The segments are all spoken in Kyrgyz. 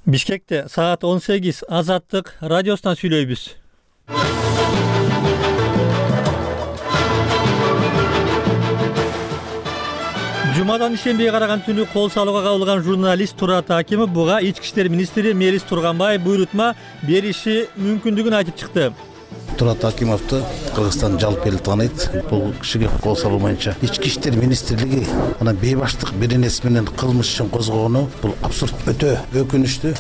Бишкекте саат 18 Азаттык радиосунан сүйлөйбүз. Жумадан ишембиге караган түнү кол салууга кабылган журналист Турат Акимов буга ички иштер министри Мелис Турганбаев буйрутма бериши мүмкүндүгүн айтып чыкты. Турат Акимовду Кыргызстан жалпы эл тааныйт. Бул кишиге кол салуу боюнча ички иштер министрлиги анан бейбаштык беренеси менен кылмыш ишин козгогону бул абсурд, өтө өкүнүчтүү.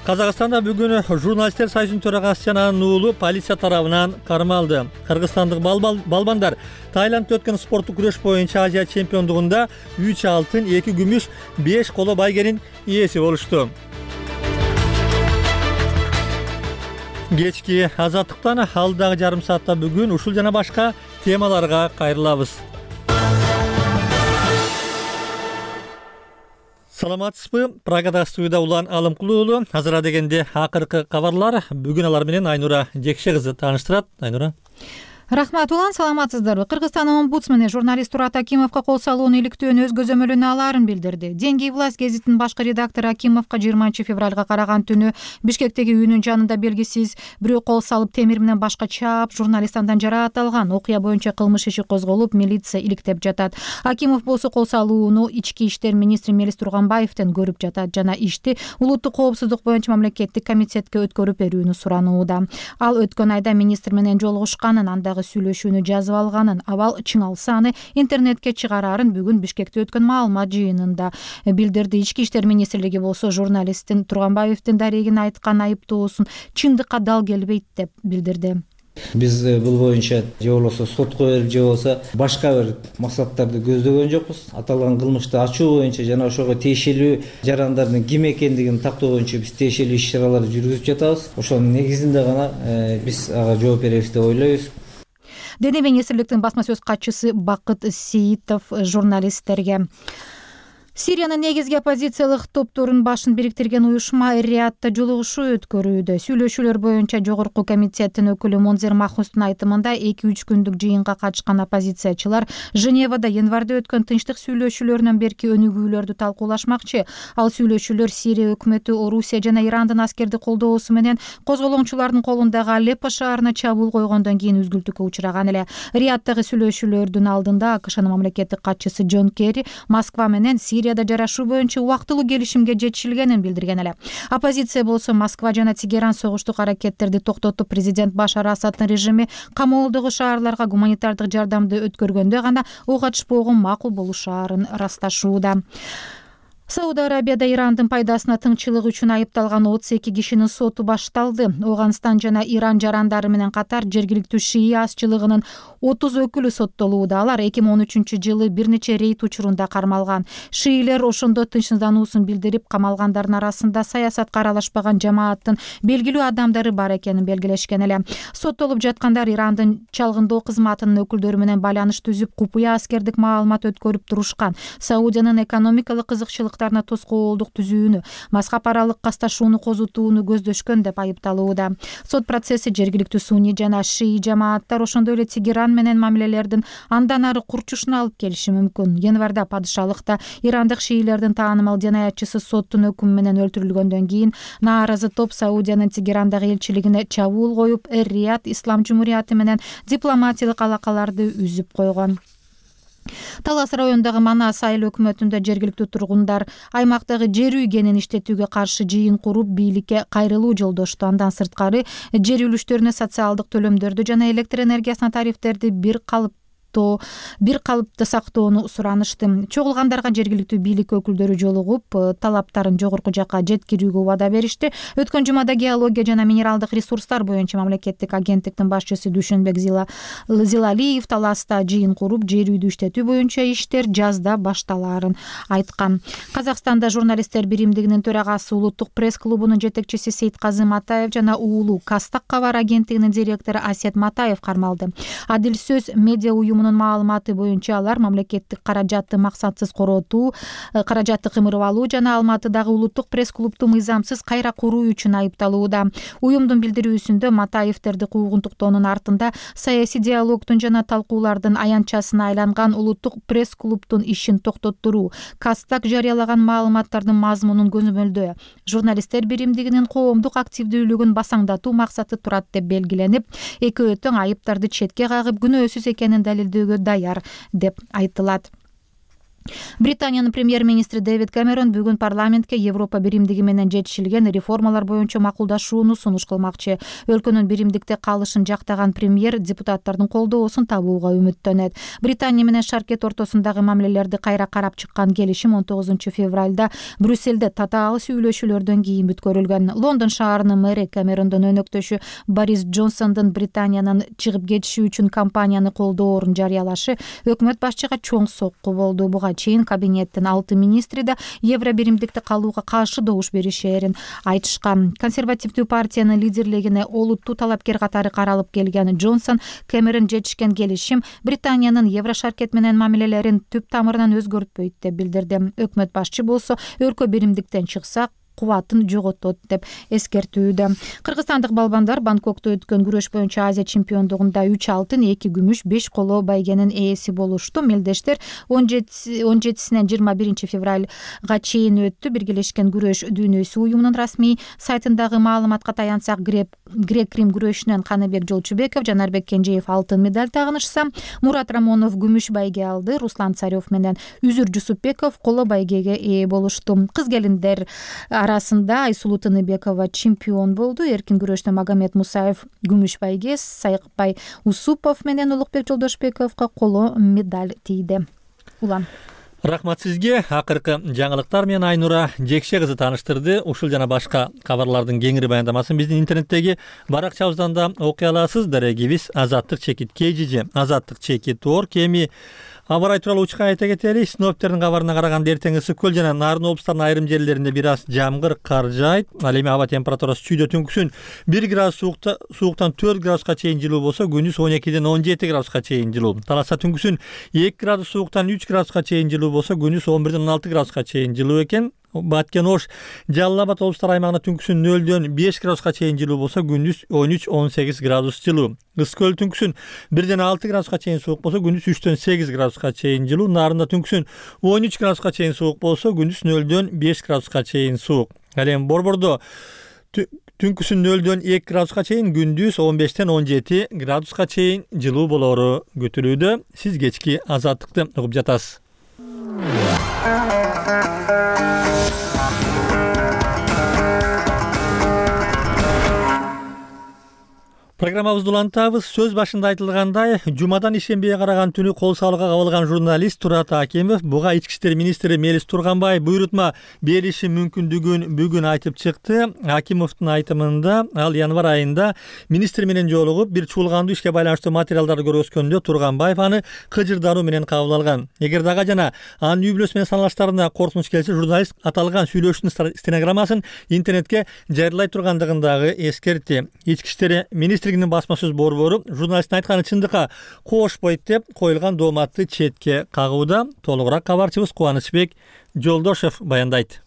Казакстанда бүгүн журналисттер союзунун төрагасы жана анын уулу полиция тарабынан кармалды. Кыргызстандык балбандар Таиландда өткөн спорттук күрөш боюнча Азия чемпиондугунда 3 алтын, 2 күмүш, 5 коло байгенин ээси болушту. Кечки Азаттыктан алдагы жарым саатта бүгүн ушул жана башка темаларга кайрылабыз. Саламатсызбы? Прагада студияда Улан Алымкулуу уулу. Азыр дегенде акыркы кабарлар. Бүгүн алар менен Айнура Жекше кызы тааныштырат. Айнура. Рахмат, Улан, саламатсыздарбы? Кыргызстан омбудсмени журналист Турат Акимовго кол салууну иликтөөнү өз көзөмөлүнө алаарын билдирди. Деньги и власть гезитинин башкы редактору Акимовго 20 февралга караган түнү Бишкектеги үйүнүн жанында белгисиз бирөө кол салып темир менен башка чаап, журналист андан жараат алган. Окуя боюнча кылмыш иши козголуп, милиция иликтеп жатат. Акимов болсо кол салууну ички иштер министри Мелис Турганбаевден көрүп жатат жана ишти улуттук коопсуздук боюнча мамлекеттик комитетке өткөрүп берүүнү суранууда. Ал өткөн айда министр менен жолугушканын, андагы сүйлөшүүнү жазып алганын, абал чыңалса аны интернетке чыгарарын бүгүн Бишкекте өткөн маалымат жыйынында билдирди. Ички иштер министрлиги болсо журналисттин Турганбаевдин дарегин айткан айыптоосун чындыкка дал келбейт деп билдирди. Биз бул боюнча же болбосо сотко берип же болбосо башка бир максаттарды көздөгөн жокпуз. Аталган кылмышты ачуу боюнча жана ошого тиешелүү жарандардын ким экендигин тактоо боюнча биз тиешелүү иш-чараларды жүргүзүп жатабыз. Ошонун негизинде гана биз ага жооп беребиз деп ойлойбуз. Дене министрликтин басма сөз катчысы Бакыт Сиитов журналисттерге Сириянын негизги оппозициялык топторунун башын бириктирген уюшма Риядда жолугушуу өткөрүүдө. Сүйлөшүүлөр боюнча жогорку комитеттин өкүлү Монзер Махмустун айтымында 2-3 күндүк жыйынга катышкан оппозициячылар Женевада январда өткөн тынчтык сүйлөшүүлөрүнөн берки өнүгүүлөрдү талкуулашмакчы. Ал сүйлөшүүлөр Сирия өкмөтү Орусия жана Ирандын аскерди колдоосу менен козголоңчулардын колундагы Алеппо шаарына чабуул койгондон кийин үзгүлтүккө учураган эле. Рияддагы сүйлөшүүлөрдүн алдында АКШнын мамлекеттик катчысы Джон Керри Москва менен Сирияда жарашуу боюнча убактылуу келишимге жетишилгенин билдирген эле. Оппозиция болсо Москва жана Тегеран согуштук аракеттерди токтотуп, президент Башар Асаддын режими камоолдогу шаарларга гуманитардык жардамды өткөргөндө гана ок ачышпоого макул болушаарын ырасташууда. Сауд Арабияда Ирандын пайдасына тыңчылык үчүн айыпталган 32 кишинин соту башталды. Оганстан жана Иран жарандары менен катар жергиликтүү шия азчылыгынын 30 өкүлү соттолууда. Алар 2013-жылы бир нече рейд учурунда кармалган. Шиилер ошондо тынчсыздануусун билдирип, камалгандардын арасында саясатка аралашпаган жамааттын белгилүү адамдары бар экенин белгилешкен эле. Соттолуп жаткандар Ирандын чалгындоо кызматынын өкүлдөрү менен байланыш түзүп, купуя аскердик маалымат өткөрүп турушкан. Саудиянын экономикалык кызыкчылык тоскоолдук түзүүнү, мазхаб аралык касташууну козутууну көздөшкөн деп айыпталууда. Сот процесси жергиликтүү сунни жана шии жамааттар, ошондой эле Тегеран менен мамилелердин андан ары курчушуна алып келиши мүмкүн. Январда падышалыкта ирандык шиилердин таанымал жанаятчысы соттун өкүмү менен өлтүрүлгөндөн кийин нааразы топ Саудиянын Тегерандагы элчилигине чабуул коюп, Эр-Рияд Ислам Жумурияты менен дипломатиялык алакаларды үзүп койгон. Талас районундагы Манас айыл өкмөтүндө жергиликтүү тургундар аймактагы жер үйгенин иштетүүгө каршы жыйын куруп, бийликке кайрылуу жолдошту. Андан сырткары жер үлүштөрүнө социалдык төлөмдөрдү жана электр энергиясына тарифтерди бир калыпты сактоону суранышты. Чогулгандарга жергиликтүү бийлик өкүлдөрү жолугуп, талаптарын жогорку жакка жеткирүүгө убада беришти. Өткөн жумада геология жана минералдык ресурстар боюнча мамлекеттик агенттиктин башчысы Дүйшөнбек Зилалиев Таласта жыйын куруп, жер үйдү иштетүү боюнча иштер жазда башталаарын айткан. Казакстанда журналисттер биримдигинин төрагасы, улуттук пресс-клубунун жетекчиси Сейтказы Матаев жана уулу Кастак кабар агенттигинин директору Асет Матаев кармалды. Адил сөз медиа уюму уюмунун маалыматы боюнча алар мамлекеттик каражатты максатсыз коротуу, каражатты кымырып алуу жана Алматыдагы улуттук пресс-клубду мыйзамсыз кайра куруу үчүн айыпталууда. Уюмдун билдирүүсүндө Матаевтерди куугунтуктоонун артында саясий диалогдун жана талкуулардын аянтчасына айланган улуттук пресс-клубдун ишин токтоттуруу, Кастак жарыялаган маалыматтардын мазмунун көзөмөлдөө, журналисттер биримдигинин коомдук активдүүлүгүн басаңдатуу максаты турат деп белгиленип, экөө тең айыптарды четке кагып күнөөсүз экенин далилдөөгө даяр деп айтылат. Британиянын премьер-министри Дэвид Кэмерон бүгүн парламентке Европа биримдиги менен жетишилген реформалар боюнча макулдашууну сунуш кылмакчы. Өлкөнүн биримдикте калышын жактаган премьер депутаттардын колдоосун табууга үмүттөнөт. Британия менен Шаркет ортосундагы мамилелерди кайра карап чыккан келишим 19 февралда Брюссельде татаал сүйлөшүүлөрдөн кийин бүткөрүлгөн. Лондон шаарынын мэри Кэмерондун өнөктөшү Борис Джонсондун Британиянын чыгып кетиши үчүн кампанияны колдоорун жарыялашы өкмөт башчыга чоң сокку болду. Буга чейин кабинеттин 6 министри да евро биримдикте калууга каршы добуш беришерин айтышкан. Консервативдүү партиянын лидерлигине олуттуу талапкер катары каралып келген Джонсон Кэмерон жетишкен келишим Британиянын евро шаркет менен мамилелерин түп тамырынан өзгөртпөйт деп билдирди. Өкмөт башчы болсо өлкө биримдиктен чыкса кубатын жоготот деп эскертүүдө. Кыргызстандык балбандар Бангкокто өткөн күрөш боюнча Азия чемпиондугунда 3 алтын, 2 күмүш, 5 коло байгенин ээси болушту. Мелдештер 17-синен 21 февралга чейин өттү. Биргелешкен күрөш дүйнөсү уюмунун расмий сайтындагы маалыматка таянсак, грек-рим күрөшүнөн Каныбек Жолчубеков, Жанарбек Кенжеев алтын медаль тагынышса, Мурат Рамонов күмүш байге алды. Руслан Царев менен Үзүр Жусупбеков коло байгеге ээ болушту. Кыз келиндер арасында Айсулуу Тыныбекова чемпион болду. Эркин күрөштө Магомед Мусаев күмүш байге, Сайыкбай Усупов менен Улукбек Жолдошбековго коло медаль тийди. Улан. Рахмат сизге. Акыркы жаңылыктар менен Айнура Жекше кызы тааныштырды. Ушул жана башка кабарлардын кеңири баяндамасын биздин интернеттеги баракчабыздан да окуй аласыз. Дарегибиз Азаттык чекит KGG, Азаттык чекит ор кеми Абарай тууралуу учка айта кетели. Синоптиктердин кабарына караганда эртең ысык жана Нарын облустарынын айрым жерлеринде бир аз жамгыр, кар жаайт. Ал эми аба температурасы түздө түнкүсүн 1 градус сууктан 4 градуска чейин жылуу болсо, күндүз 12ден 17 градуска чейин жылуу. Таласа түнкүсүн 2 градус сууктан 3 градуска чейин жылуу болсо, күндүз 11ден 16 градуска чейин жылуу экен. Баткен, Ош, Жалал Абад облустар аймагында түнкүсүн 0дөн 5 градуска чейин жылуу болсо, күндүз 13-18 градус жылуу. Ысык түнкүсүн 1ден 6 градуска чейин суук болсо, күндүз 3дөн 8 градуска чейин жылуу. Нарында түнкүсүн 13 градуска чейин суук болсо, күндүз 0дөн 5 градуска чейин суук. Ал эми Борбордо түнкүсүн 0дөн 2 градуска чейин, күндүз 15ден 17 градуска чейин жылуу болору күтүлүүдө. Сиз кечки Азаттыкты угуп жатасыз. Программабызды улантабыз. Сөз башында айтылгандай, жумадан ишембиге караган түнү кол салууга кабылган журналист Турат Акимов буга ички иштер министри Мелис Турганбай буйрутма бериши мүмкүндүгүн бүгүн айтып чыкты. Акимовдун айтымында ал январь айында министр менен жолугуп, бир чуулгандуу ишке байланыштуу материалдарды көргөзгөндө Турганбаев аны кыжырдануу менен кабыл алган. Эгер дагы жана анын үй бүлөсү менен саналаштарына коркунуч келсе, журналист аталган сүйлөшүүнүн стенограммасын интернетке жарыялай тургандыгын дагы эскертти. Ички иштер министринин басма сөз борбору журналисттин айтканы чындыкка кошпойт деп коюлган дооматты четке кагууда. Толугураак кабарчыбыз Кубанычбек Жолдошев баяндайт.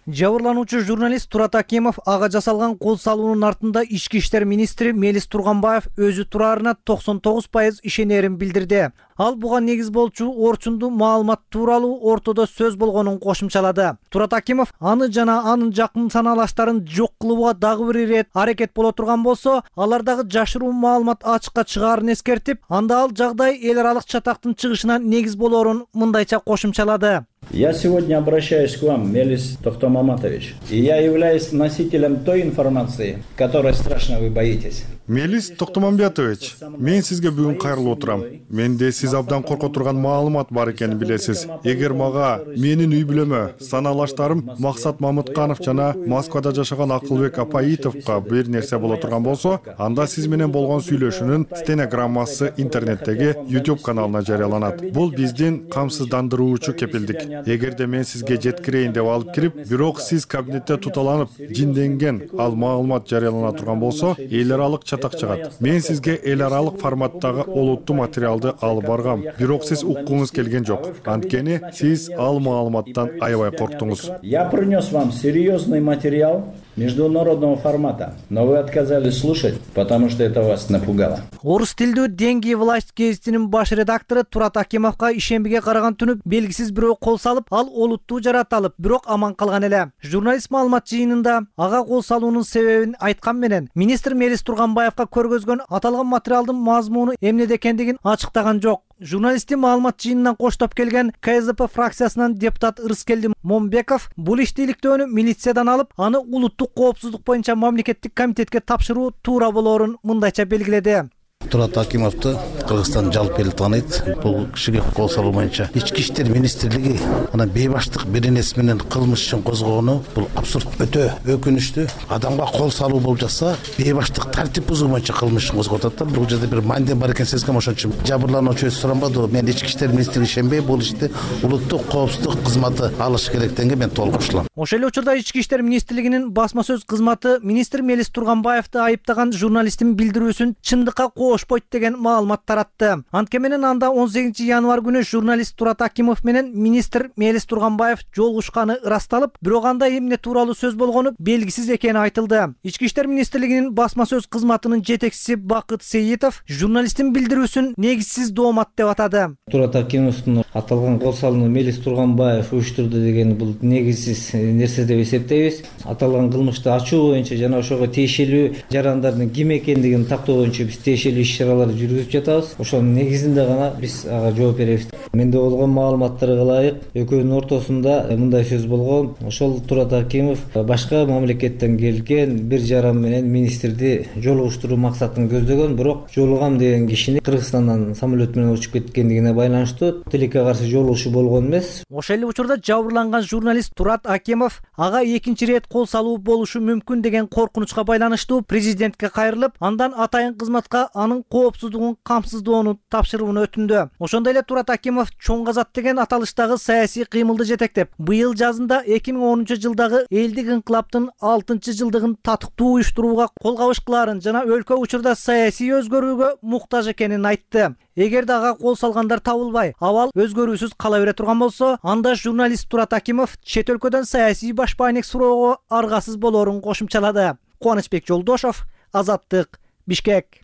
Жабырлануучу журналист Турат Акимов ага жасалган кол салуунун артында ички иштер министри Мелис Турганбаев өзү тураарына 99% ишенерин билдирди. Ал буга негиз болчу орчундуу маалымат тууралуу ортодо сөз болгонун кошумчалады. Турат Акимов аны жана анын жакын санаалаштарын жок кылууга дагы бир ирет аракет боло турган болсо, алардагы жашыруу маалымат ачыкка чыгаарын эскертип, анда ал жагдай эл аралык чатактын чыгышына негиз болорун мындайча кошумчалады. Я сегодня обращаюсь к вам, Мелис Тохтомаматович, и я являюсь носителем той информации, которой страшно вы боитесь. Мелис Тохтомамбетович, мен сизге бүгүн кайрылып отурам. Менде сиз абдан корко турган маалымат бар экенин билесиз. Эгер мага, менин үй бүлөмө, санаалаштарым Максат Мамытканов жана Москвада жашаган Акылбек Апаитовго бир нерсе боло турган болсо, анда сиз менен болгон сүйлөшүүнүн стенограммасы интернеттеги YouTube каналына жарыяланат. Бул биздин камсыздандыруучу кепилдик. эгерде мен сизге жеткирейин деп алып кирип, бирок сиз кабинетте туталанып жинденген ал маалымат жарыялана турган болсо, эл аралык чатак чыгат. Мен сизге эл аралык форматтагы олуттуу материалды алып баргам, бирок сиз уккуңуз келген жок. Анткени сиз ал маалыматтан аябай корктуңуз. Я принес вам серьезный материал международного формата, но вы отказались слушать, потому что это вас напугало. Орус тилдүү Деньги власть гезитинин баш редактору Турат Акимовго ишембиге караган түнү белгисиз бирөө кол салып, ал олуттуу жараталып, бирок аман калган эле. Журналист маалымат жыйынында ага кол салуунун себебин айткан менен, министр Мелис Турганбаевга көргөзгөн аталган материалдын мазмуну эмнеде экендигин ачыктаган жок. Журналисттин маалымат жыйынынан коштоп келген КСДП фракциясынан депутат Ырыскелди Момбеков бул иштейликтөөнү милициядан алып, аны улуттук коопсуздук боюнча мамлекеттик комитетке тапшыруу туура болоорун мындайча белгиледи. Турат Акимовду Кыргызстан жалпы эл тааныйт. Бул кишиге кол салуу боюнча ички иштер министрлиги анан бейбаштык бир нерсе менен кылмыш үчүн козгогону бул абсурд, өтө өкүнүчтүү. Адамга кол салуу болуп жатса, бейбаштык тартип бузуу боюнча кылмыш үчүн козгоп атат. Бул жерде бир мандем бар экен сезгем, ошон үчүн жабырлануучу суранбады. Мен ички иштер министрлиги ишенбей, бул ишти улуттук коопсуздук кызматы алыш керектенге мен толук кошулам. Ошол эле учурда ички иштер министрлигинин басма сөз кызматы министр Мелис Турганбаевди айыптаган журналисттин билдирүүсүн чындыкка ошпойт деген маалымат таратты. Антке менен анда 18 январь күнү журналист Турат Акимов менен министр Мелис Турганбаев жолугушканы ырасталып, бирок анда эмне тууралуу сөз болгону белгисиз экени айтылды. Ички иштер министрлигинин басма сөз кызматынын жетекчиси Бакыт Сейитов журналисттин билдирүүсүн негизсиз доомат деп атады. Турат Акимовдун аталган кол салууну Мелис Турганбаев уюштурду деген бул негизсиз нерсе деп эсептейбиз. Аталган кылмышты ачуу боюнча жана ошого тиешелүү жарандардын ким экендигин тактоо боюнча биз тиешелүү иш-чараларды жүргүзүп жатабыз. Ошонун негизинде гана биз ага жооп беребиз. Менде болгон маалыматтарга ылайык экөөнүн ортосунда мындай сөз болгон. Ошол Турат Акимов башка мамлекеттен келген бир жаран менен министрди жолугуштуруу максатын көздөгөн, бирок жолугам деген кишини Кыргызстандан самолет менен учуп кеткендигине байланыштуу тилекке каршы жолугушуу болгон эмес. Ошол эле учурда жабырланган журналист Турат Акимов ага экинчи ирет кол салуу болушу мүмкүн деген коркунучка байланыштуу президентке кайрылып, андан атайын кызматка анын коопсуздугун камсыздоону тапшырууну өтүндү. Ошондой эле Турат Акимов чоң казат деген аталыштагы саясий кыймылды жетектеп, быйыл жазында 2010 жылдагы элдик инкылаптын 6-жылдыгын татыктуу уюштурууга колгабыш кылаарын жана өлкө учурда саясий өзгөрүүгө муктаж экенин айтты. Эгерде ага кол салгандар табылбай, абал өзгөрүүсүз кала бере турган болсо, анда журналист Турат Акимов чет өлкөдөн саясий башпайнек суроого аргасыз болоорун кошумчалады. Кубанычбек Жолдошов, Азаттык, Бишкек.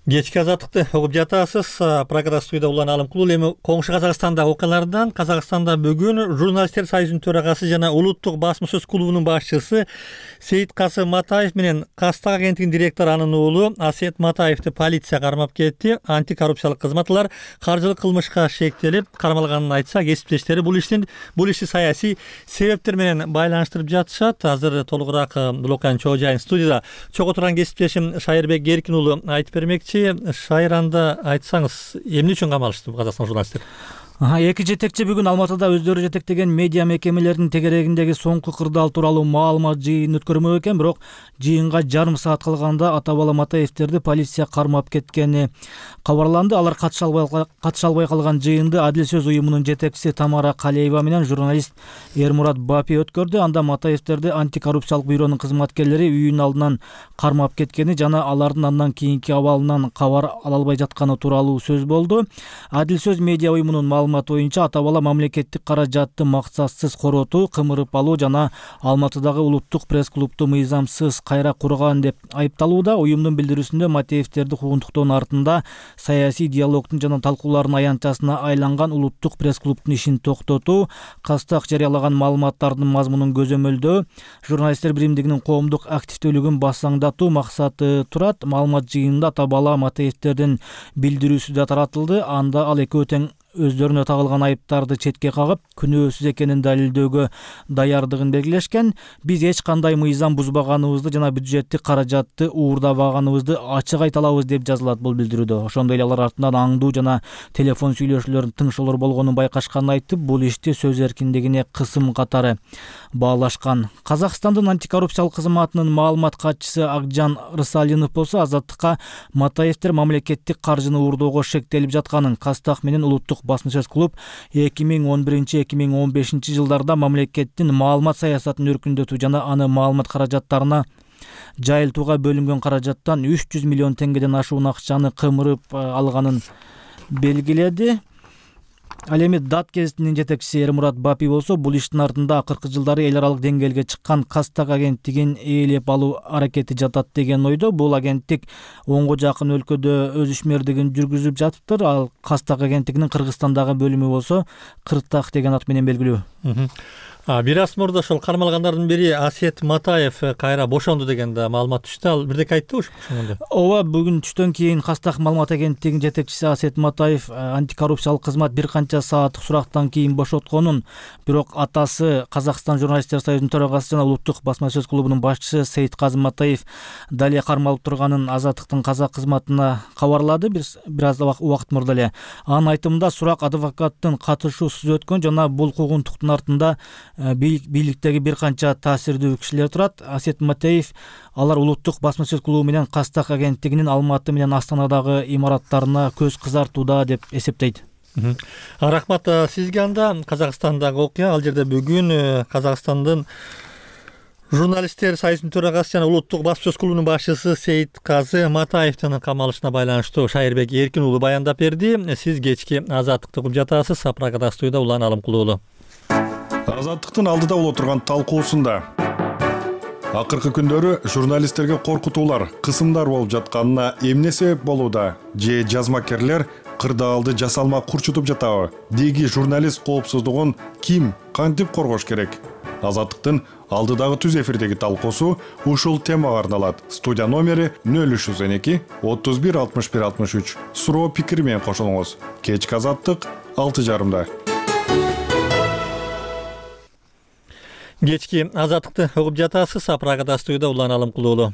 Кечки азаттыкты угуп жатасыз. Программа студияда Улан Алымкулов. Эми коңшу Казакстандагы окуялардан Казакстанда бүгүн журналисттер союзунун төрагасы жана улуттук басма сөз клубунун башчысы Сейиткасым Матаев менен Кастак агенттигинин директору анын уулу Асет Матаевди полиция кармап кетти. Антикоррупциялык кызматлар каржылык кылмышка шектелип кармалганын айтса, кесиптештери бул ишти саясий себептер менен байланыштырып жатышат. Азыр толугураак бул окуянын чоо жайын студияда чогуу турган кесиптешим Шайырбек Эркин уулу айтып бермекчи. Шайранда айтсаңыз, эмне үчүн камалышты Казакстан журналисттери? Эки жетекчи бүгүн Алматыда өздөрү жетектеген медиа мекемелеринин тегерегиндеги соңку кырдаал тууралуу маалымат жыйынын өткөрмөк экен, бирок жыйынга жарым саат калганда ата бала Матаевтерди полиция кармап кеткени кабарланды. Алар катыша албай калган жыйынды Адил сөз уюмунун жетекчиси Тамара Калеева менен журналист Эрмурат Бапи өткөрдү. Анда Матаевтерди антикоррупциялык бюронун кызматкерлери үйүнүн алдынан кармап кеткени жана алардын андан кийинки абалынан кабар ала албай жатканы тууралуу сөз болду. Адил сөз медиа уюмунун маалымат боюнча ата бала мамлекеттик каражатты максатсыз коротуу, кымырып алуу жана Алматыдагы улуттук пресс-клубду мыйзамсыз кайра курган деп айыпталууда. Уюмдун билдирүүсүндө Матаевтерди куугунтуктоонун артында саясий диалогдун жана талкуулардын аянтчасына айланган улуттук пресс-клубдун ишин токтотуу, Кастак жарыялаган маалыматтардын мазмунун көзөмөлдөө, журналисттер биримдигинин коомдук активдүүлүгүн басаңдатуу максаты турат. Маалымат жыйынында ата бала Матаевтердин билдирүүсү да таратылды. Анда ал экөө тең өздөрүнө тагылган айыптарды четке кагып, күнөөсүз экенин далилдөөгө даярдыгын белгилешкен. Биз эч кандай мыйзам бузбаганыбызды жана бюджеттик каражатты уурдабаганыбызды ачык айта алабыз деп жазылат бул билдирүүдө. Ошондой эле алар артынан аңдуу жана телефон сүйлөшүүлөрдүн тыңшоолор болгонун байкашканын айтып, бул ишти сөз эркиндигине кысым катары баалашкан. Казакстандын антикоррупциялык кызматынын маалымат катчысы Акжан Рысалинов болсо Азаттыкка Матаевдер мамлекеттик каржыны уурдоого шектелип жатканын, Кастак менен улуттук басма сөз клуб 2011-2015 жылдарда мамлекеттин маалымат саясатын өркүндөтүү жана аны маалымат каражаттарына жайылтууга бөлүнгөн каражаттан 300 миллион теңгеден ашуун акчаны кымырып алганын белгиледи. Ал эми ДАТ гезитинин жетекчиси Эрмурат Бапи болсо, бул иштин артында акыркы жылдары эл аралык деңгээлге чыккан Кастак агенттигин ээлеп алуу аракети жатат деген ойдо. Бул агенттик 10го жакын өлкөдө өз ишмердигин жүргүзүп жатыптыр. Ал Кастак агенттигинин Кыргызстандагы бөлүмү болсо Кыртак деген ат менен белгилүү. Бир аз мурда ошол кармалгандардын бири Асет Матаев кайра бошонду деген да маалымат түштү. Ал бирдеке айтты ошондо. Ооба, бүгүн түштөн кийин Кастак маалымат агенттигинин жетекчиси Асет Матаев антикоррупциялык кызмат бир канча сааттык сурактан кийин бошотконун, бирок атасы Казакстан журналисттер союзунун төрагасы жана улуттук басма сөз клубунун башчысы Сейитказы Матаев дале кармалып турганын Азаттыктын казак кызматына кабарлады бир аз убакыт мурда эле. Анын айтымында сурак адвокаттын катышуусуз өткөн жана бул куугунтуктун артында бийликтеги бир канча таасирдүү кишилер турат. Асет Матаев алар улуттук басма сөз клубу менен Кастак агенттигинин Алматы менен Астанадагы имараттарына көз кызартууда деп эсептейт. Рахмат сизге. Анда Казакстандагы окуя, ал жерде бүгүн Казакстандын журналисттер союзунун төрагасы жана улуттук басма сөз клубунун башчысы Сейитказы Матаевдин камалышына байланыштуу Шайырбек Эркин уулу баяндап берди. Сиз кечки Азаттыкты угуп жатасыз. Сапрагада студияда Улан Алымкулуулу. Азаттыктын алдыда боло турган талкуусунда акыркы күндөрү журналисттерге коркутуулар, кысымдар болуп жатканына эмне себеп болууда? Же жазмакерлер кырдаалды жасалма курчутуп жатабы? Деги журналист коопсуздугун ким, кантип коргош керек? Азаттыктын алдыдагы түз эфирдеги талкуусу ушул темага арналат. Студия номери 0312 31 61 63. Суроо пикир менен кошулуңуз. Кечки Азаттык 6:30. Кечки Азаттыкты угуп жатасыз. Сапрагада студияда Улан Алымкулуулу.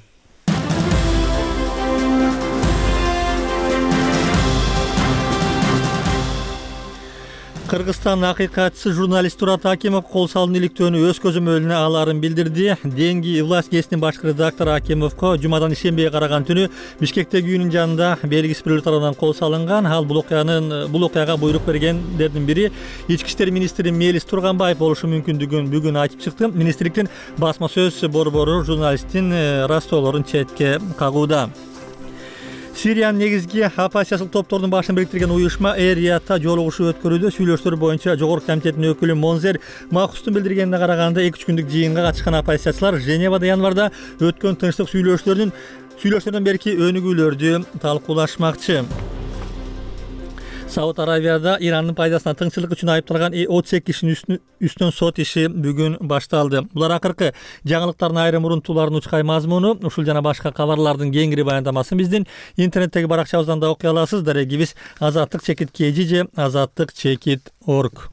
Кыргызстан акыйкатчысы журналист Турат Акимов кол салуун иликтөөнү өз көзөмөлүнө аларын билдирди. Денги власть гезитинин башкы редактору Акимовго жумадан ишембиге караган түнү Бишкектеги үйүнүн жанында белгисиз бирөөлөр тарабынан кол салынган. Ал бул окуяга буйрук бергендердин бири Ички иштер министри Мелис Турганбаев болушу мүмкүндүгүн бүгүн айтып чыкты. Министрликтин басма сөз борбору журналисттин растоолорун четке кагууда. Сириянын негизги оппозициялык топтордун башын бириктирген уюшма Эр-Риядта жолугушуу өткөрүүдө. Сүйлөшүүлөр боюнча Жогорку комитеттин өкүлү Монзер Макустун билдиргенине караганда 2-3 күндүк жыйынга катышкан оппозициячылар Женевада январда өткөн тынчтык сүйлөшүүлөрдөн берки өнүгүүлөрдү талкуулашмакчы. Сауд Арабияда Ирандын пайдасына тыңчылык үчүн айыпталган 38 кишинин үстүнөн сот иши бүгүн башталды. Булар акыркы жаңылыктардын айрым урунтууларынын учкай мазмуну. Ушул жана башка кабарлардын кеңири баяндамасын биздин интернеттеги баракчабыздан да окуй аласыз. Дарегибиз azattik-kg же azattik-org.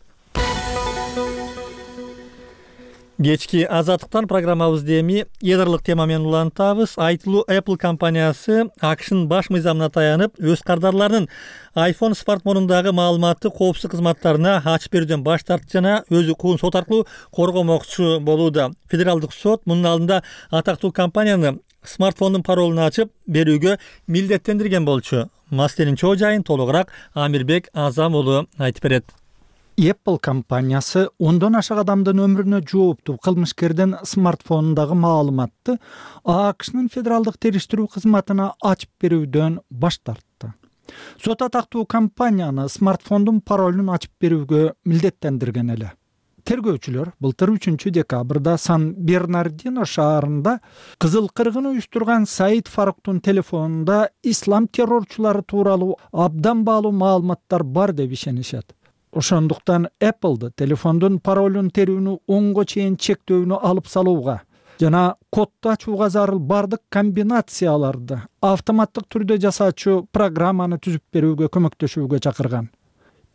Кечки Азаттыктан программабызды эми эдрлык тема менен улантабыз. Айтылуу Apple компаниясы AQShnын баш мыйзамына таянып, өз кардарларынын iPhone смартфонундагы маалыматты коопсуздук кызматтарына ачып берүүдөн баш тартты жана өз укугун сот аркылуу коргомокчу болууда. Федералдык сот мунун алдында атактуу компанияны смартфондун паролун ачып берүүгө милдеттендирген болчу. Маселенин чоо жайын толугураак Амирбек Азам уулу айтып берет. Apple компаниясы 10дон ашык адамдын өмүрүнө жооптуу кылмышкердин смартфонундагы маалыматты AQShnын федералдык териштирүү кызматына ачып берүүдөн баш тартты. Сот атактуу компанияны смартфондун паролун ачып берүүгө милдеттендирген эле. Тергөөчүлөр былтыр 3-декабрда Сан-Бернардино шаарында кызыл кыргын уюштурган Саид Фаруктун телефонунда ислам террорчулары тууралуу абдан баалуу маалыматтар бар деп ишенишет. Ошондуктан Apple'ды телефондун паролун терүүнү 10го чейин чектөөнү алып салууга жана кодду ачууга зарыл бардык комбинацияларды автоматтык түрдө жасаачу программаны түзүп берүүгө көмөктөшүүгө чакырган.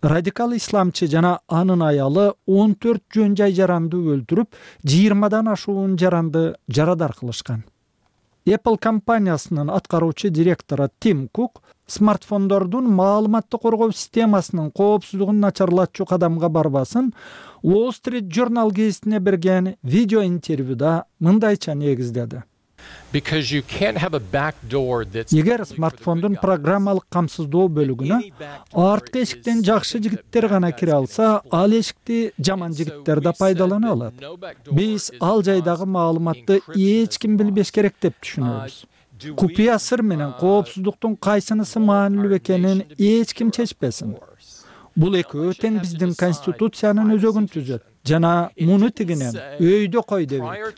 радикал исламчы жана анын аялы 14 жөн жай жаранды өлтүрүп, 20дан ашуун жаранды жарадар кылышкан. Apple компаниясынын аткаруучу директору Тим Кук смартфондордун маалыматты коргоо системасынын коопсуздугун начарлатчу кадамга барбасын Wall Street Journal гезитине берген видео интервьюда мындайча негиздеди. Эгер смартфондун программалык камсыздоо бөлүгүнө арткы эшиктен жакшы жигиттер гана кире алса, ал эшикти жаман жигиттер да пайдалана алат. Биз ал жайдагы маалыматты эч ким билбеш керек деп түшүнөбүз. Купуя сыр менен коопсуздуктун кайсынысы маанилүү экенин эч ким чечпесин. Бул экөө тең биздин конституциянын өзөгүн түзөт жана муну тигинен өйдө кой дебейт.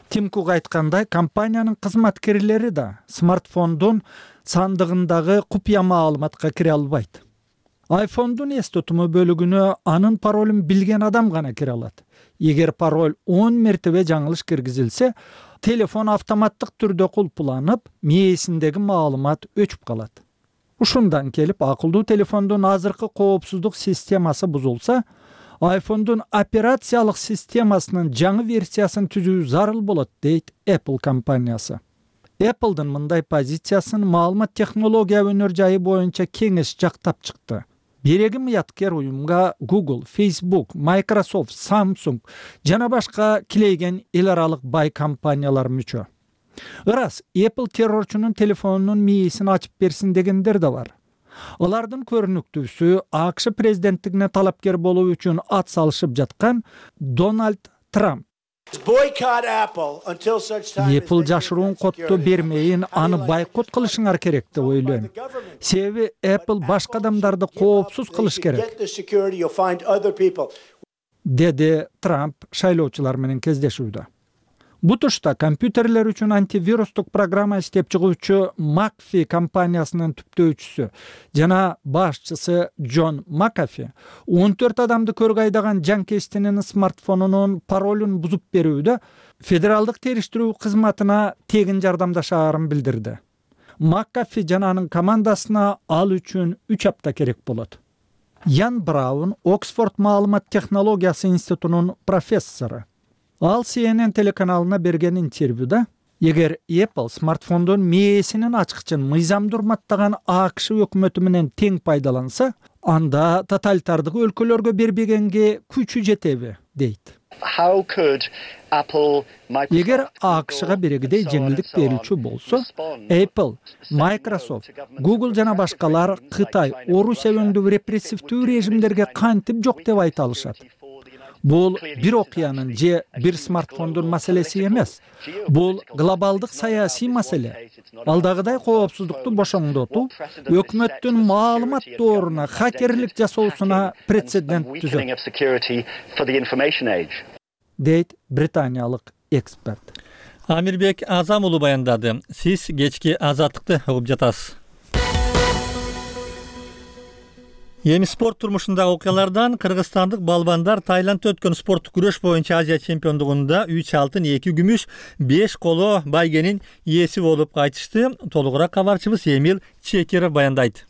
Тим Кук айткандай, компаниянын кызматкерлери да смартфондун сандыгындагы купуя маалыматка кире албайт. iPhone'дун эс тутуму бөлүгүнө анын паролун билген адам гана кире алат. Эгер пароль 10 мертебе жаңылыш киргизилсе, телефон автоматтык түрдө кулпуланып, мээсиндеги маалымат өчүп калат. Ушундан келип, акылдуу телефондун азыркы коопсуздук системасы бузулса, iPhone'дун операциялык системасынын жаңы версиясын түзүү зарыл болот, дейт Apple компаниясы. Apple'дын мындай позициясын маалымат технология өнөр жайы боюнча кеңеш жактап чыкты. Береги мыяткер уюмга Google, Facebook, Microsoft, Samsung жана башка килейген эл аралык бай компаниялар мүчө. Ырас, Apple террорчунун телефонунун мээсин ачып берсин дегендер да бар. Алардын көрүнүктүүсү АКШ президенттигине талапкер болуу үчүн ат салышып жаткан Дональд Трамп. Apple жашыруун котту бермейин, аны байкот кылышыңар керек деп ойлойм. Себеби Apple башка адамдарды коопсуз кылыш керек, деди Трамп шайлоочулар менен кездешүүдө. Бутушта компьютерлер үчүн антивирустук программа иштеп чыгуучу McAfee компаниясынын түптөөчүсү жана башчысы Джон Макафи 14 адамды көргө айдаган жанкечтинин смартфонунун паролун бузуп берүүдө федералдык териштирүү кызматына тегин жардамдашаарын билдирди. Макафи жана анын командасына ал үчүн 3 апта керек болот. Ян Браун Оксфорд маалымат технологиясы институтунун профессору. Ал CNN телеканалына берген интервьюда, эгер Apple смартфондун мээсинин ачкычын мыйзамды урматтаган АКШ өкмөтү менен тең пайдаланса, анда тоталитардык өлкөлөргө бербегенге күчү жетеби, дейт. Эгер АКШга берегидей жеңилдик берилчү болсо, Apple, Microsoft, Google жана башкалар Кытай, Орусия өндүгү репрессивдүү режимдерге кантип жок деп айта алышат. Бул бир окуянын же бир смартфондун маселеси эмес. Бул глобалдык саясий маселе. Алдагыдай коопсуздукту бошоңдотуу өкмөттүн маалымат дооруна хакерлик жасоосуна прецедент түзөт, дейт британиялык эксперт. Амирбек Азам уулу баяндады. Сиз кечки Азаттыкты угуп жатасыз. Эми спорт турмушундагы окуялардан кыргызстандык балбандар Таиландда өткөн спорттук күрөш боюнча Азия чемпиондугунда 3 алтын, 2 күмүш, 5 коло байгенин ээси болуп кайтышты. Толугураак кабарчыбыз Эмил Чекеров баяндайт.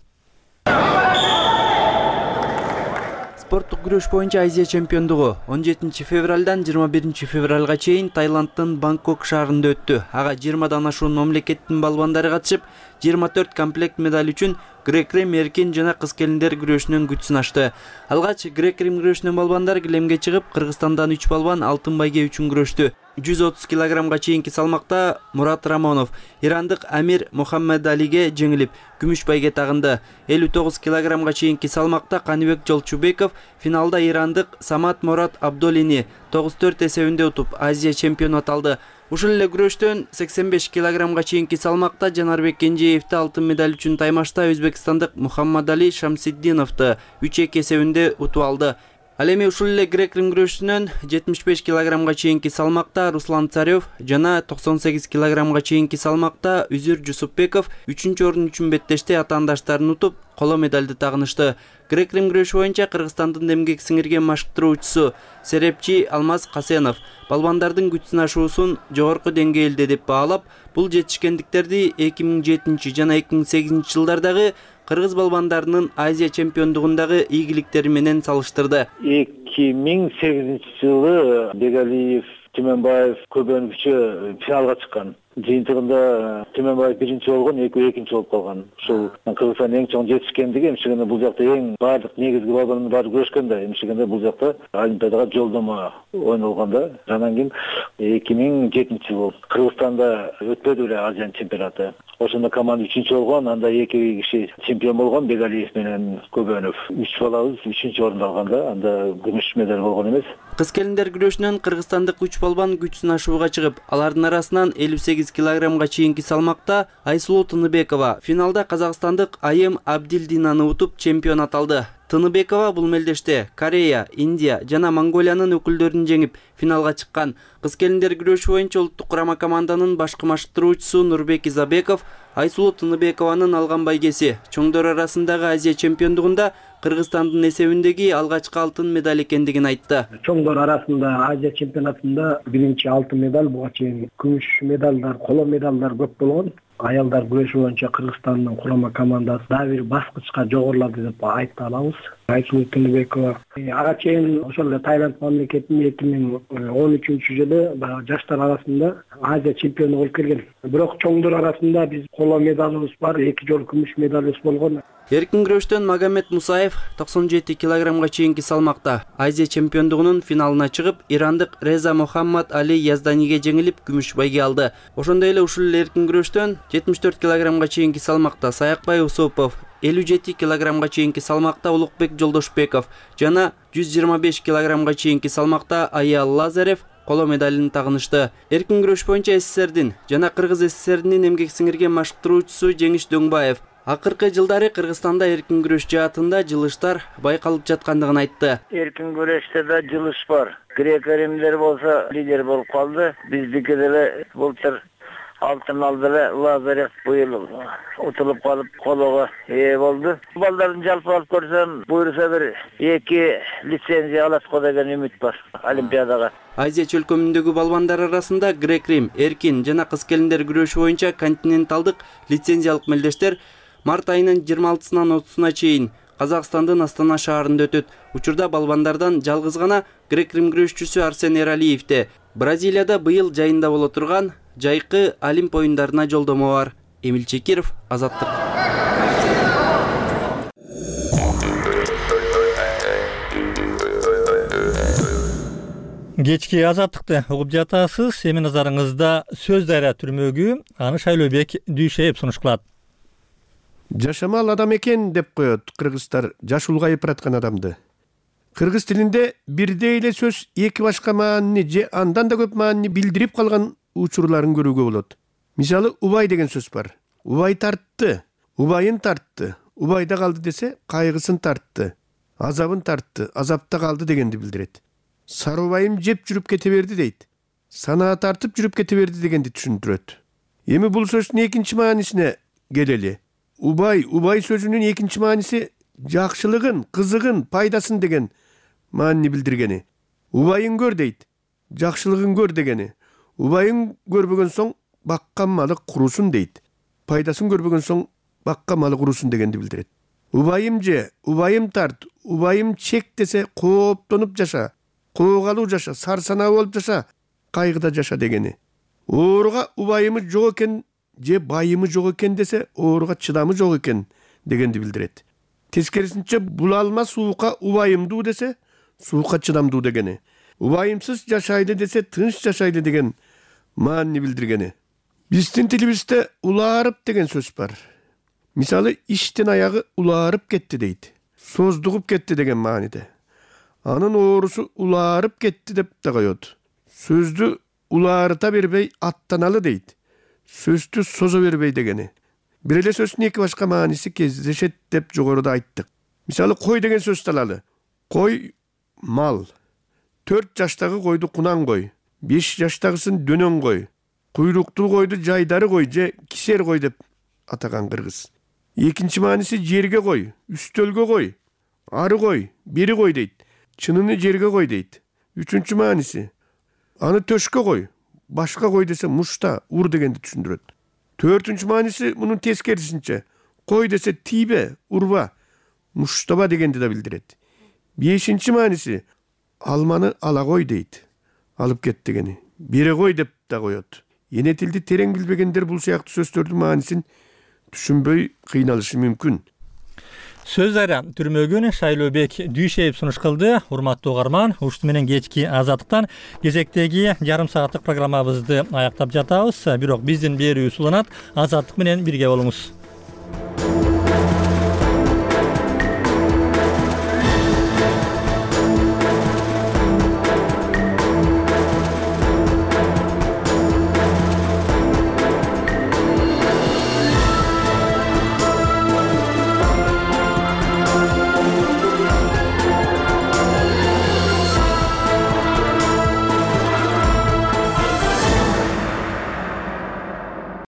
Спорттук күрөш боюнча Азия чемпиондугу 17 февралдан 21 февралга чейин Таиланддын Бангкок шаарында өттү. Ага 20дан ашуун мамлекеттин балбандары катышып, 24 комплект медаль үчүн грек-рим эркин жана кыз келиндер күрөшүнүн күч сынашты. Алгач грек-рим күрөшүнүн балбандары килемге чыгып, Кыргызстандан 3 балбан алтын байге үчүн күрөштү. 130 килограммга чейинки салмакта Мурат Рамонов ирандык Амир Мухаммедалиге жеңилип, күмүш байге тагынды. 59 килограммга чейинки салмакта Каныбек Жолчубеков финалда ирандык Самат Мурат Абдолини 9-4 эсебинде утуп, Азия чемпиону аталды. Ушул эле күрөштөн 85 килограммга чейинки салмакта Жанарбек Кенжеевди алтын медаль үчүн таймашта өзбекстандык Мухаммадали Шамсиддиновду 3-2 эсебинде утуп алды. Ал эми ушул эле грек-рим күрөшүнөн 75 килограммга чейинки салмакта Руслан Царев жана 98 килограммга чейинки салмакта Үзүр Жусупбеков 3-орун үчүн беттеште атаандаштарын утуп, коло медалды тагынышты. Грек-рим күрөшү боюнча Кыргызстандын эмгек сиңирген машыктыруучусу Серепчи Алмаз Касенов балбандардын күч сынашуусун жогорку деңгээлде деп баалап, бул жетишкендиктерди 2007 жана 2008 жылдардагы кыргыз балбандарынын Азия чемпиондугундагы ийгиликтери менен салыштырды. 2008 жылы Бегалиев, Түмөнбаев көбөнүкчө финалга чыккан. Жыйынтыгында Түмөнбаев биринчи болгон, экинчи болуп калган. Ушул Кыргызстандын эң чоң жетишкендиги, эмчегенде бул жакта эң баардык негизги балбандын баары күрөшкөн да, эмчегенде бул жакта Олимпиадага жолдомо ойнолгондо. Анан кийин 2007 жыл Кыргызстанда өтпөдү эле Азия чемпионаты. Ошондо команда 3-чү болгон, анда 2 киши чемпион болгон, Бегалиев менен Көбөнов. 3 балабыз 3-чү орунду алганда, анда күмүш медаль болгон эмес. Кыз келиндер күрөшүнөн кыргызстандык 3 балбан күч сынашууга чыгып, алардын арасынан 58 килограммга чейинки салмакта Айсулуу Тыныбекова финалда казакстандык Айым Абдилдинаны утуп чемпион аталды. Тыныбекова бул мелдеште Корея, Индия жана Монголиянын өкүлдөрүн жеңип финалга чыккан. Кыз келиндер күрөшү боюнча улуттук курама команданын башкы машыктыруучусу Нурбек Изабеков Айсулуу Тыныбекованын алган байгеси чоңдор арасындагы Азия чемпиондугунда Кыргызстандын эсебиндеги алгачкы алтын медаль экендигин айтты. Чоңдор арасында Азия чемпионатында биринчи алтын медаль, буга чейин күмүш медалдар, коло медалдар көп болгон. Аялдар күрөшү боюнча Кыргызстандын курама командасы дагы бир баскычка жогорулады деп айта алабыз. Айсулуу Тыныбекова ага чейин ошол эле Таиланд мамлекетинин 2013 жылы жаштар арасында Азия чемпиону болуп келген. Бирок чоңдор арасында биз коло медалыбыз бар, 2 жолу күмүш медалыбыз болгон. Эркин күрөштөн Магомед Мусаев 97 килограммга чейинки салмакта Азия чемпиондугунун финалына чыгып, ирандык Реза Мухаммад Али Язданиге жеңилип, күмүш байге алды. Ошондой эле ушул эркин күрөштөн 74 килограммга чейинки салмакта Саякбай Усупов, 57 килограммга чейинки салмакта Улукбек Жолдошбеков жана 125 килограммга чейинки салмакта Аял Лазарев коло медалын тагынышты. Эркин күрөш боюнча СССРдин жана Кыргыз СССРинин эмгек сиңирген машыктыруучусу Жеңиш Дөңбаев акыркы жылдары Кыргызстанда эркин күрөш жаатында жылыштар байкалып жаткандыгын айтты. Эркин күрөштө да жылыш бар. Грек-римдер болсо лидер болуп калды. Биздики деле былтыр алтын алды эле, Лазарев быйыл утулуп калып колого ээ болду. Балдардын жалпы алып көрсөм, буйруса бир 2 лицензия алат го деген үмүт бар Олимпиадага. Азия чөлкөмүндөгү балбандар арасында грек-рим, эркин жана кыз келиндер күрөшү боюнча континенталдык лицензиялык мелдештер март айынын 26-сынан 30-суна чейин Казакстандын Астана шаарында өтөт. Учурда балбандардан жалгыз гана грек-рим күрөшчүсү Арсен Эралиевде Бразилияда быйыл жайында боло турган жайкы Олимп оюндарына жолдомо бар. Эмил Чекиров, Азаттык. Кечки Азаттыкты угуп жатасыз. Эми назарыңызда Сөз Дайра түрмөгү, аны Шайлообек Дүйшеев сунуш кылат. Жашамал адам экен деп коет кыргыздар жаш улгайып бараткан адамды. Кыргыз тилинде бирдей эле сөз эки башка маанини же андан да көп маанини билдирип калган учурларын көрүүгө болот. Мисалы, убай деген сөз бар. Убай тартты, убайын тартты. Убайда калды десе, кайгысын тартты. Азабын тартты, азапта калды дегенди билдирет. Сарыбайым жеп жүрүп кете берди дейт. Санаа тартып жүрүп кете берди дегенди түшүндүрөт. Эми бул сөздүн экинчи маанисине келели. Убай сөзүнүн экинчи мааниси жакшылыгын, кызыгын, пайдасын деген маанини билдиргени. Убайын көр дейт. Жакшылыгын көр дегени. Убайын көрбөгөн соң баккан малы курусун дейт. Пайдасын көрбөгөн соң баккан малы курусун дегенди билдирет. Убайым же, убайым тарт, убайым чек десе кооптонуп жаша, коокалуу жаша, сарсанаа болуп жаша, кайгыда жаша дегени. Ооруга убайымы жок экен же байымы жок экен десе, ооруга чыдамы жок экен дегенди билдирет. Тескерисинче, булалма суукка убайымдуу десе, суукка чыдамдуу дегени. Убайымсыз жашайлы десе, тынч жашайлы деген маанини билдиргени. Биздин тилибизде улаарып деген сөз бар. Мисалы, иштин аягы улаарып кетти дейт. Создугуп кетти деген мааниде. Анын оорусу улаарып кетти деп да коет. Сөздү улаарыта бербей аттаналы дейт. Сөздү созо бербей дегени. Бир эле сөздүн эки башка мааниси кездешет деп жогоруда айттык. Мисалы, кой деген сөздү алалы. Кой мал. 4 жаштагы койду кунан кой, 5 жаштагысын дөнөн кой, куйруктуу койду жайдары кой же кисер кой деп атаган кыргыз. Экинчи мааниси жерге кой, үстөлгө кой, ары кой, бери кой дейт. Чыныны жерге кой дейт. Үчүнчү мааниси аны төшкө кой, башка кой десе мушта, ур дегенди түшүндүрөт. Төртүнчү мааниси мунун тескерисинче кой десе тийбе, урба, муштаба дегенди да билдирет. Бешинчи мааниси алманы ала кой дейт. Алып кет дегени. Бере кой деп да коет. Эне тилди терең билбегендер бул сыяктуу сөздөрдүн маанисин түшүнбөй кыйналышы мүмкүн. Сөздөрү түрмөгүн Шайлообек Дүйшеев сунуш кылды. Урматтуу угарман, ушуну менен кечки Азаттыктан кезектеги жарым сааттык программабызды аяктап жатабыз. Бирок биздин берүү уланат. Азаттык менен бирге болуңуз.